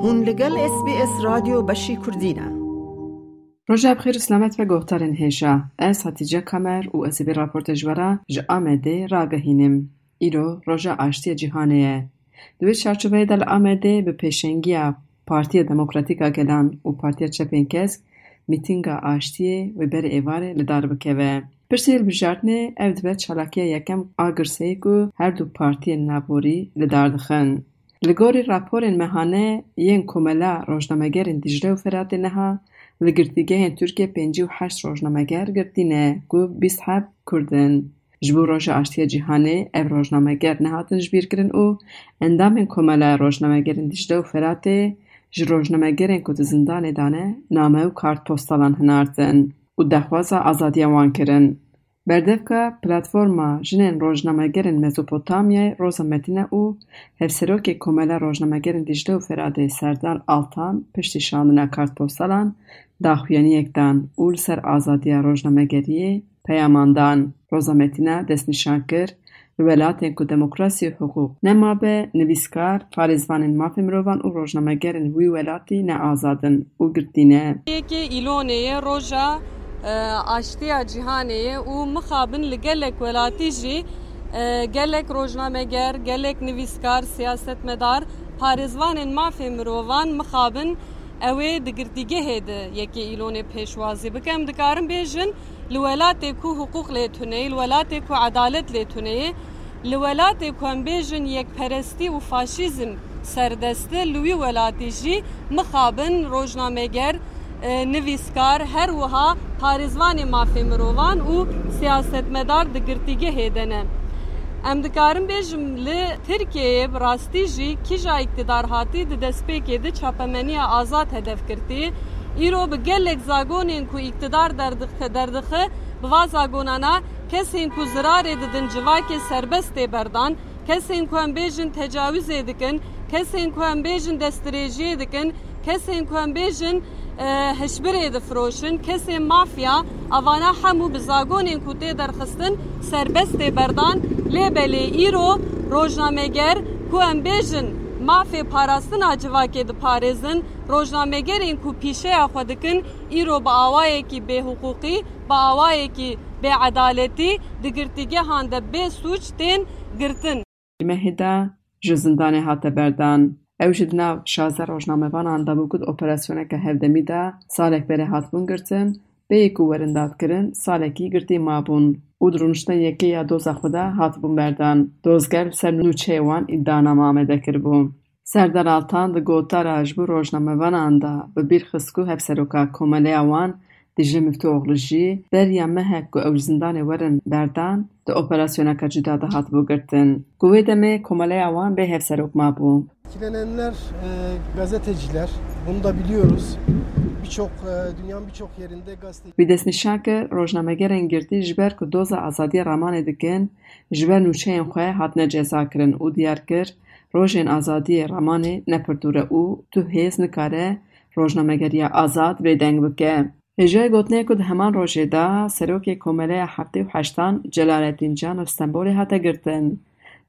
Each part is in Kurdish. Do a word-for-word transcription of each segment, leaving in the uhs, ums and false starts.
Hûn li gel S B S Radyo Beşî Kurdî ne. Roja bi xêr û selamet ve guhdarên hêja. Ez Hatice Kamer û ez ê vê raportê ji we re ji Amedê ragehînim. Îro Roja Aştiya Cîhanê ye. Di wê çarçoveyê de li Amedê bi pêşengiya Partiya Demokratîk a Gelan û Partiya Çepên Kesk mîtînga aştiyê wê berê êvarê li dar bikeve. Piştî hilbijartinê ev dibe çalakiya yekem a girseyî ku her du partiyên navborî li dar dixin. Li gorî raporên mehane yên Komela Rojnamegerên Dîcle û Feratê niha li girtîgehên Tirkiyê pêncî û heşt rojnameger girtî ne ku bîst heb Kurd in. Ji bo Roja Aştiya Cîhanê ev rojnameger nehatin jibîrkirin û endamên Komela Rojnamegerên Dîcle û Feratê ji rojnamegerên ku di zindanê de ne name û kartpostalan hinartin û daxwaza azadiya wan kirin. Berdevka Platforma Jinên Rojnamegerên Mezopotamyayê Roza Metine û Hevserokê Komela Rojnamegerên Dîcle û Feratê Serdar Altan piştî şandina kartpostalan daxuyaniyek dan û li ser azadiya rojnamegeriyê peyaman dan. Roza Metine destnîşan kir, li welatên ku demokrasî û hiqûq nemabe, nivîskar, parêzvanên mafê mirovan û rojnamegerên wî welatî ne azad in û girtî ne. Yekê Îlonê ye, roja, e, aştiya cîhanê ye û mixabin li gelek welatî jî, e, gelek rojnameger, gelek nivîskar, siyasetmedar, parêzvanên mafê mirovan mixabin ew ê di girtîgehê de yekê Îlonê pêşwazî bike. Em dikarin bêjin, li welatê ku hiqûq lê tune ye, li welatê ku edalet lê tune ye, li welatê ku em bêjin yekperestî û faşîzm serdest e, li wî welatî jî mixabin rojnameger, e, nivîskar, her wiha parêzvanê mafê mirovan û siyasetmedar di girtîgehê de ne. Em dikarin bêjim, li Tirkiyeyê bi rastî jî kîja îktidar hatî di destpêkê de çapemeniya azad hedef girtî. Îro bi gelek zagonên ku îktidar derdixe, derdixe, bi va zagonana kesên ku zirarê didin civakê serbest tê berdan, kesên ku em bêjin tecawizê dikin, kesên ku em bêjin destdirêjiyê dikin, kesên ku em bêjin, e, hişbirê difiroşin, kesên mafya, avana hemû bi zagonên ku tê derxistin serbest tê berdan. Lê belê îro rojnameger ku em bêjin mafê parastina civakê diparêzin, rojnamegerên ku pîşeya xwe dikin, îro bi awayekî bêhiqûqî, bi awayekî bêedaletî di girtîgehan de bê sûc tên girtin. Di mehê de ji zindanê hate berdan. Ew jî di nav şazdeh rojnamevanan de bû ku di operasyoneke hevdemî de salek berê hatibûn girtin, bêyî ku werin dadkirin, salekî girtî mabûn û di rûniştina yekê ya doza xwe de hatibûn berdan. Dozger li ser nûçeyê wan îdianame amade kiribû. Serdar Altan di gotara ji bo rojnamevanan de bi bîr xist ku hevseroka komeleya wan Dîcle Miftûoğlu jî beriya mehek ku ew ji zindanê werin berdan, di operasyoneke cuda de hatibû girtin. Ku wê demê komeleya wan bê hevserok mabû. Etkilenenler, e, gazeteciler. Bunu da biliyoruz. Birçok, e, dünyanın birçok yerinde gazete Wî destnîşan kir, rojnamegerên girtî ji ber ku doza azadiya ramanê dikin, ji ber nûçeyên xwe hatine cezakirin û diyar kir, rojên azadiyê ramanê ne pir dûr e û tu hêz nikare rojnamegeriya azad bêdeng bike. Hêjayî gotinê ku di heman rojê de serokê Komeleya Heftê û Heştan Celalettin Can li Stenbolê hate girtin.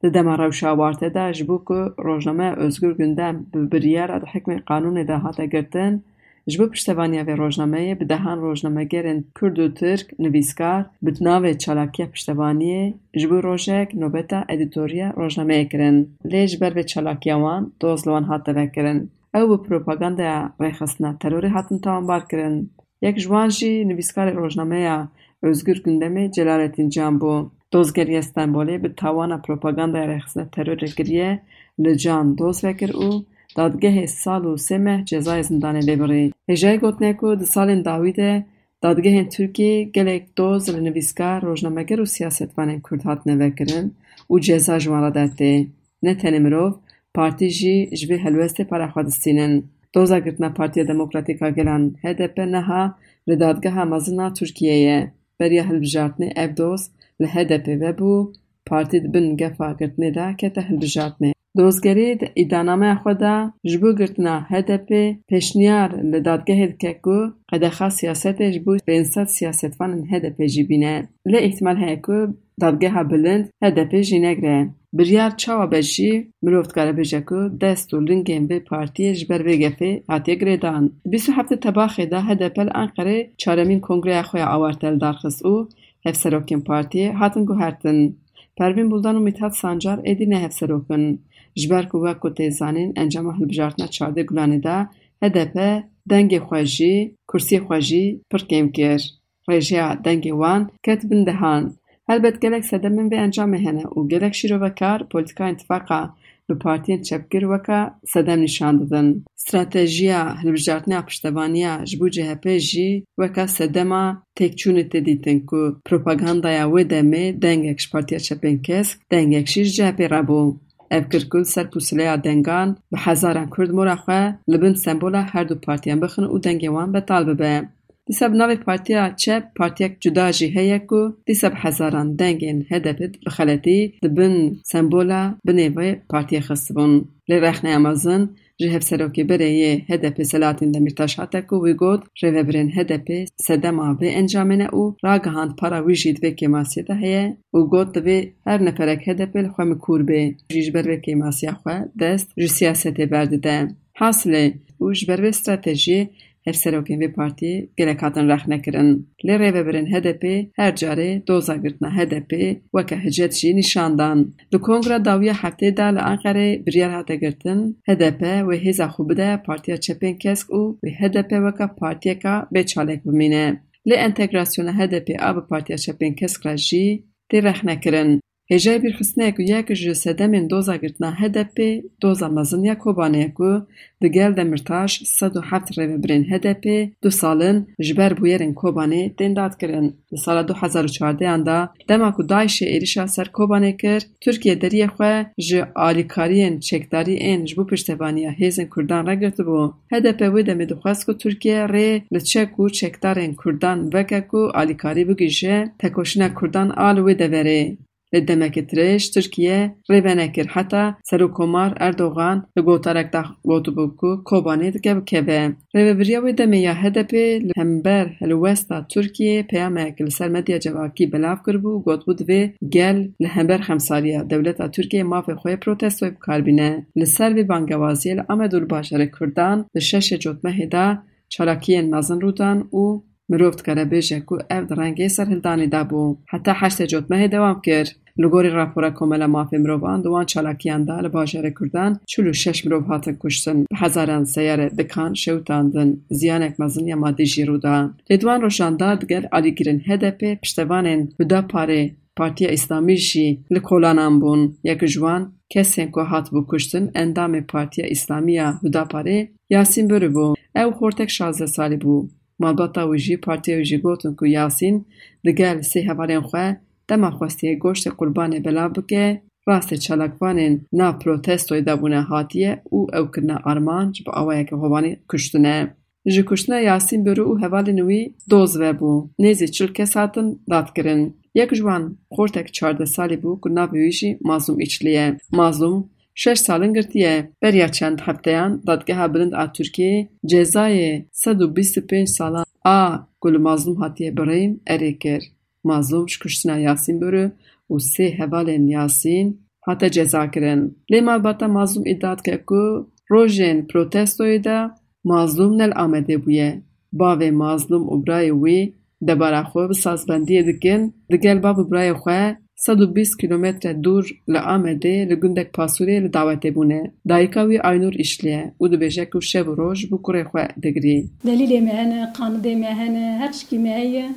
Di dema rewşa awarte de ji bo ku rojnameya Özgür Gündem bi biryara di hikmê qanûnê de hate girtin, ji bo piştevaniya vê rojnameyê bi dehan rojnamegerên Kurd û Tirk, nivîskar, bi navê çalakiya piştevaniyê ji bo rojek nobeta edîtoriya rojnameyê kirin. Lê ji ber vê çalakiya wan doz li wan hate vekirin. Ew bi propagandaya rêxistina terorê hatin tawanbar kirin. Yek ji wan jî nivîskarê rojnameya Özgür Gündemê Celalettin Can bû. Dozgeriya Stenbolê bi tawana propagandaya rêxistina terorê kiriye, li Can doz vekir û dadgehê sal û sê meh cezayê zindanê lê birî. Hêjayî gotine ku di salên dawî de dadgehên Tirkiyê gelek doz li nivîskar, rojnameger û siyasetvanên Kurd hatine vekirin û ceza ji wan re dertê. Ne tenê mirov, partî jî ji vê helwestê pere xwe distînin. Doza girtina Partiya Demokratîk a Gelan, H D P, niha li Dadgeha Mezin a Tirkiyeyê ye. Beriya hilbijartinê ev doz li H D P vebû, partî di bin gefa girtinê de kete hilbijartinê. Dozgerî di îdianameya xwe de ji bo girtina H D P pêşniyar li dadgehê dike ku qedexa siyasetê ji bo pênc sed siyasetvanên H D P jî bîne. Lê îhtimal heye ku dadgeha bilind H D P jî negire. Biryar çawa be jî, mirov dikare bêje ku dest û lingên vê partiyê ji ber vê gefê hatiye girêdan. Bîst û heftê Tebaxê de H D P li Enqerê çaremîn kongreya xwe ya awarte li dar xist û hevserokên partiyê hatin guhertin. Pervîn Buldan û Mithat Sancar êdî ne hevserok in. Ji ber ku wek ku tê zanîn encama hilbijartina çardeh Gulanê de H D P dengê xwe jî, kursiyê xwe jî pir kêm kir. Rêjeya dengê wan ket bin dehan. Helbet gelek sedemên vê encamê hene û gelek şîrovekar polîtîkayên tifaqa bi partiyên çepgir weka sedem nîşan didin. Stratejiya hilbijartina piştevaniya ji bo C H P jî weka sedema têkçûnê tê dîtin ku propagandaya wê demê dengek ji Partiya Çepên Kesk, dengek jî ji C H P re bû. Ev kir ku li ser pûsileya dengan bi hezaran Kurd mora xwe li bin sembola her du partiyan bixin û dengê wan betal bibe. Dîsa bi navê Partiya Çep partiyek cuda jî heye ku dîsa bi hezaran dengên H D P bi xeletî di bin sembola binê vê partiyê xistibûn. Lê rexneya mezin ji hevserokê berê yê H D P Selahattin Demirtaş hate ku wî got, rêvebirên H D P sedema vê encamê ne û ragihand para wî jî di vê kêmasiyê de heye û got, divê her neferek H D P li xwe mikûr bê, jî ji ber vê kêmasiya xwe dest ji siyasetê berdide. Hasilê, û ji ber vê stratejiyê hevserokên vê partiyê gelek hatin rexnekirin. Lê rêvebirên H D P her carê doza girtina H D P weke hicet jî nîşan dan. Di kongra dawiya heftê de li Enqerê biryar hate girtin, H D P wê hêza xwe bide Partiya Çepên Kesk û wê H D P weke partiyeka bê çalek bimîne. Lê entegrasyona H D P a bi Partiya Çepên Kesk re jî tê rexnekirin. Hêjayî bîrxistinê ye ku yek ji sedemên doza girtina H D P doza mezin ya Kobanê ye ku digel Demirtaş sed û heft rêvebirên H D P du sal in ji ber bûyerên Kobanê tên dadkirin. Di sala du hezar û çardehan de dema ku DAIŞê êrişa ser Kobanê kir, Tirkiye deriyê xwe ji alîkariyên çekdarî ên ji bo piştevaniya hêzên Kurdan re girtibû. H D P wê demê dixwest ku Tirkiye rê li çek û çekdarên Kurdan veke ku alîkarî bigihîje tekoşîna Kurdan a li wê deverê. Lê demekê dirêj Tirkiye rê venekir heta Serokkomar Erdogan li gotarek de gotibû ku Kobanê dike bikeve. Rêvebiriya wê demê ya H D P li hember helwesta Tirkiyeyê peyamek li ser medya civakî belav kiribû û gotibû divê gel li hember xemsariya dewleta Tirkiyeyê mafê xwe yê protestoyê bi kar bîne. Li ser vê bangewaziyê li Amed û li bajarê Kurdan di şeşê Cotmehê de çalakiyên mezin rû dan û mirov dikare bêje ku ev di rengê serhildanê de bû. Heta heştê Cotmehê dewam kir. Li gorî rapora Komela Mafê Mirovan di wan çalakiyan de li bajarê Kurdan çil û şeş mirov hatin kuştin, bi hezaran seyare, dikan şewitandin, ziyanek mezin ya madî jî rû da. Lê di wan rojan de digel alîgirên H D P piştevanên Hudaparê Partiya Îslamî jî li kolanan bûn. Yek ji wan kesên ku hatibû kuştin endamê Partiya Îslamî ya Hudaparê Yasîn Börü bû. Ew xortek şazdeh salî bû. Malbata wî jî, partiya wî jî gotin ku Yasîn digel sê hevalên xwe dema xwestiye goştê qurbanê belav bike, rastê çalakvanên nav protestoyê de bûne hatiye û ew kirine armanc, bi awayeke hovanî kuştine. Ji kuştina Yasîn Börü û hevalên wî doz vebû. Nêzî çil kes hatin dadkirin. Yek ji wan xortek çardeh salî bû ku navê wî jî Mazlûm Îçlî ye. Mazlûm şeş sal in girtiye. Beriya çend hefteyan Dadgeha Bilind a Tirkiyeyê cezayê sed û bîst û pênc salan a ku li Mazlûm hatiye birîn erê kir. Mazlûm ji kuştina Yasîn Börü û sê hevalên Yasîn hate cezakirin. Lê malbata Mazlûm îdia dike ku rojên protestoyê de Mazlûm ne li Amedê bûye. Bavê Mazlûm û birayê wî debara xwe bi sazbendiyê dikin, digel bav û birayê xwe sed û bîst kîlometre dûr li Amedê li gundek Pasûrê li dawetê bûne. Dayika wî Aynûr Îşlî ye û dibêje ku şev û roj ji bo kurê xwe digirî. Delîlê me hene, qanidê me hene, her tişkî me heye.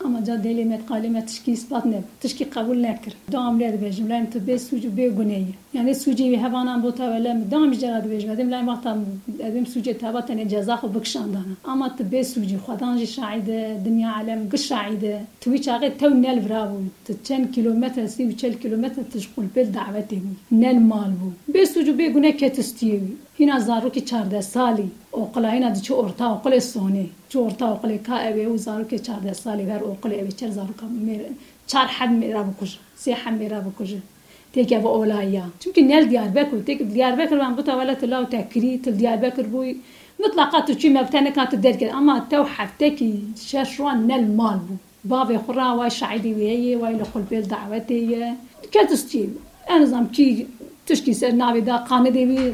Ama ca delê me, qalê me tişkî îspat nebû. Tişkî qebûl nekir. Dawam lê dibêjim, lem tu bê sûc û bê gunê yî. Yani sûcê wî hevanan bo tewele min. Dawam ji cera dibêjim. Edim lem wexta edim sûcê teva tenê ceza xwe bikişandana. Ama tu bê sûcî, Xwedan jî şahîd e, dinya alem giş şahîd e. Tu wî çaxê tew ne li vira bû. Tu çend kîlometre, sî û çel kîlometre tu ji qulpê li dawetê bû. Ne li mal bû. Bê sûc û bê gune ket stiyê wî. Hîna zarokî çardeh salî, oqila hîna diçi orta oqilê Sonê. Çi orta oqilê ka ew ê û zarokê çardeh salî her oqilê ew ê çer zaroka mêr, çar heb mêra bikuje, sê heb mêra bikuje. Têkeve olayî ya. Çimkî ne li Diyarbekir, têk Diyarbekir ben bita wele tu law te kirî, tu li Diyarbekir bûyî. Mitlaqa tu çûyî me bi te nika tu derkevî. Ama tew heftekî şeş wan ne li mal bû. Bavê xwe ra way şahidî wê ye, way li xulpê li dawetê ye. Ket stiyê. Ez nizam kî tişkî ser navê da qanidê wî,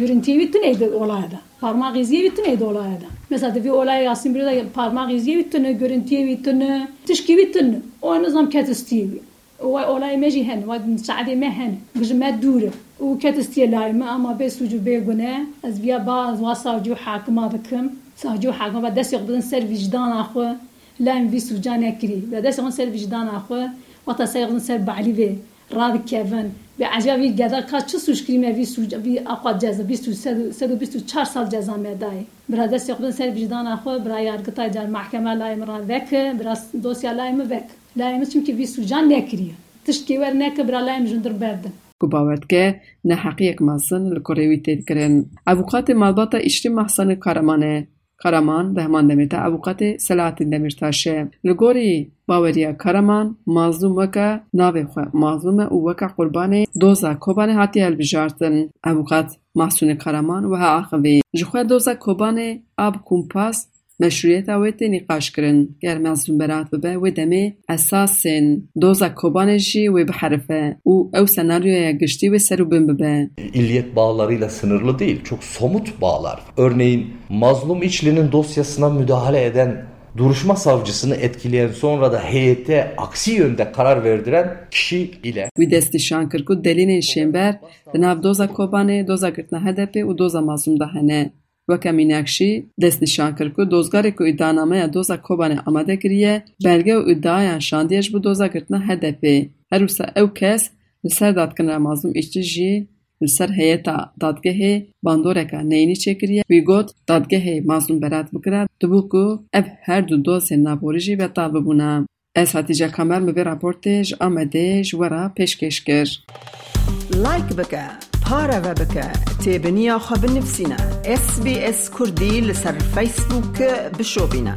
görüntiyê wî tune di olaya da. Parmak iziyê wî tune di olaya da. Mesela di vî olaya Yasin Biro da parmak iziyê wî tune, görüntiyê wî tune, tişkî wî tune. O nizam ket stiyê wî. Wa olayê me jî hene, wa saedê me hene. Ji me dûr e. Û ket stiyê layê me ama bê sûc û bê gune. Ez viya ba, ez wa savcî û hakima dikim. Savcî û hakima ba destê xwe bidin ser vîcdana xwe. Layê min vî sûca nekirî. Bi destê xwe ser vîcdana xwe. Wexta ser xwe ser balî vê radikevin. Bi ecaba vî geda ka çi sûc kirî me vî sûc, vî aqwa ceza, vîst û sed û, sed û bîst û çar sal ceza me dayê. Bira destê xwe bidin ser vîcdana xwe, bira yargitay car mahkeme layê min ra veke, bira dosya layê min veke. Layê min çimkî vî sûcan nekiriye. Tiştkê wer neke, bira layê min ji hundir berdin. Ku bawer dike neheqiyek mezin li kurê wî tê kirin. Avûkatê malbata Îşlî Mahsenê Karaman e. Karaman di heman demê de avûkatê Selahattin Demirtaş e. Li gorî baweriya Karaman, mazlûm weke navê xwe mazlûm e û weke qurbanê doza Kobanê hatiye hilbijartin. Avûkat Mahsûnê Karaman wiha axivî, ji xwe doza Kobanê a bi kumpas meşrûyeta wê tê nîqaş kirin. Ger Mazlûm berat bibe, wê demê esasên doza Kobanê jî wê biherife û ew senaryoya giştî wê ser û bin bibe. İlliyet bağlarıyla sınırlı değil, çok somut bağlar. Örneğin Mazlum İçli'nin dosyasına müdahale eden duruşma savcısını etkileyen, sonra da heyete aksi yönde karar verdiren kişi ile Wî destnîşan kir ku delîlên şênber di nav doza Kobanê, doza girtina H D P û doza Mazlûm de hene. Weke mînak jî destnîşan kir ku dozgarê ku îdianameya doza Kobanê amade kiriye, belge û îdiayan şandiye ji bo doza girtina H D P. Her wisa ew kes li ser dadkinira Mazlûm Îşlî jî li ser heyeta dadgehê bandoreka neyînî çêkiriye. Wî got, dadgehê Mazlûm berat bikira, dibû ku ev her du dozên naborî jî betal bibûna. Ez Hatîce Kamer, min vê raportê ji Amedê ji we re pêşkêş kir. Like bike, pareve bike, têbiniya xwe binivîsîne. S B S Kurdî li ser Facebook bişopîne.